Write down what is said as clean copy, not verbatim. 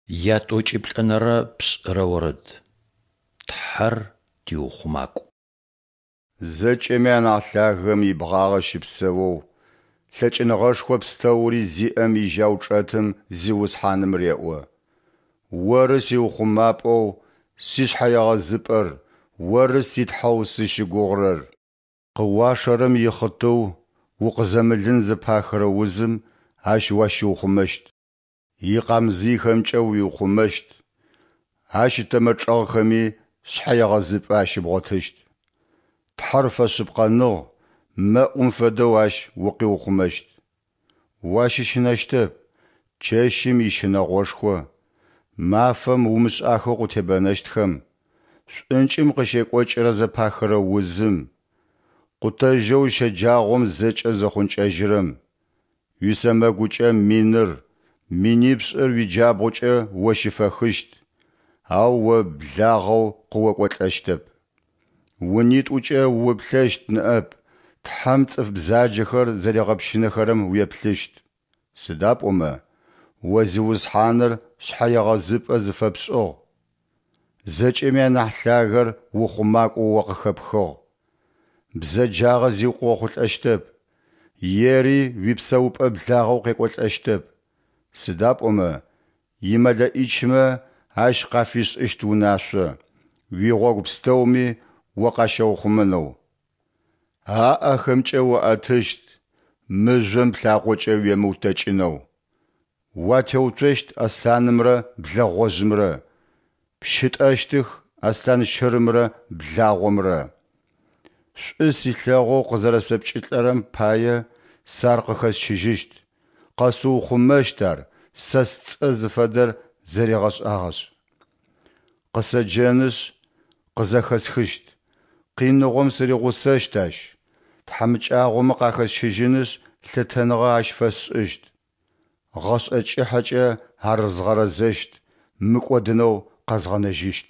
Ятӏокӏиплӏэнэрэ пшӏырэ орэд. Тхьэр тиухъумакӏу. Зэкӏэми анахь Лъагэм ибгъагъэ щыпсэоу, лъэкӏыныгъэшхо пстэури зиӏэм ижьау чӏэтым Зиусхьаным реӏо, Оры сиухъумапӏэу сишъхьэегъэзыпӏэр, Оры си Тхьэу сызщыгугъырэр. Къыуашэрэм ихъытыу, укъызэмылын зэпахырэ узым Ащ уащиухъумэщт. Икъамзыйхэмкӏэ уиухъумэщт, Ащ ытэмэ чӏэгъхэми шъхьэегъэзыпӏэ ащыбгъотыщт. Тхьэр фэшъыпкъэныгъ, мэӏум фэдэу Ащ укъиухъумэщт. Уащыщынэщтэп чэщым ищынэгъошхо, мафэм умышӏахэу къытебэнэщтхэм, шӏункӏым къыщекӏокӏырэ зэпахырэ узым, къутэжьэу щэджагъом зэкӏэ зыхъункӏэжьырэм. Уисэмэгукӏэ миныр, минипшӏыр уиджабгъукӏэ о щыфэхыщт, ау о благъэу къыокӏолӏэщтэп. Унитӏукӏэ уплъэщт ныӏэп, Тхьэм цӏыф бзаджэхэр зэригъэпщынэхэрэм уеплъыщт. Сыда пӏомэ О Зиусхьаныр шъхьэегъэзыпӏэ зыфэпшӏыгъ, Зэкӏэми анахь Лъагэр ухъумакӏоу о къыхэпхыгъ. Бзэджагъэ зи къыохъулӏэщтэп, ери уипсэупӏэ благъэу къекӏолӏэщтэп. Сыда пӏомэ имэлэӏичмэ Ащ къафишӏыщт унашъо, уигъогу пстэуми о къащаухъумэнэу. Аӏэхэмкӏэ уаӏэтыщт, мыжъом плъакъокӏэ уемыутэкӏынэу. Уатеуцощт аслъанымрэ блэгъожъымрэ, пщытӏэщтых аслъан щырымрэ благъомрэ. Шӏу силъэгъоу къызэрэсэпкӏылӏэрэм пае сэ ар къыхэсщыжьыщт, къэсыухъумэщт ар сэ сцӏэ зыфэдэр зэригъэшӏагъэшъ. Къысэджэнышъ, къызэхэсхыщт, къиныгъом сыригъусэщт ащ, тхьамыкӏагъомэ къахэсщыжьынышъ лъытэныгъэ ащ фэсшӏыщт. Гъэшӏэ кӏыхьэкӏэ ар згъэрэзэщт, мыкӏодынэу къэзгъэнэжьыщт.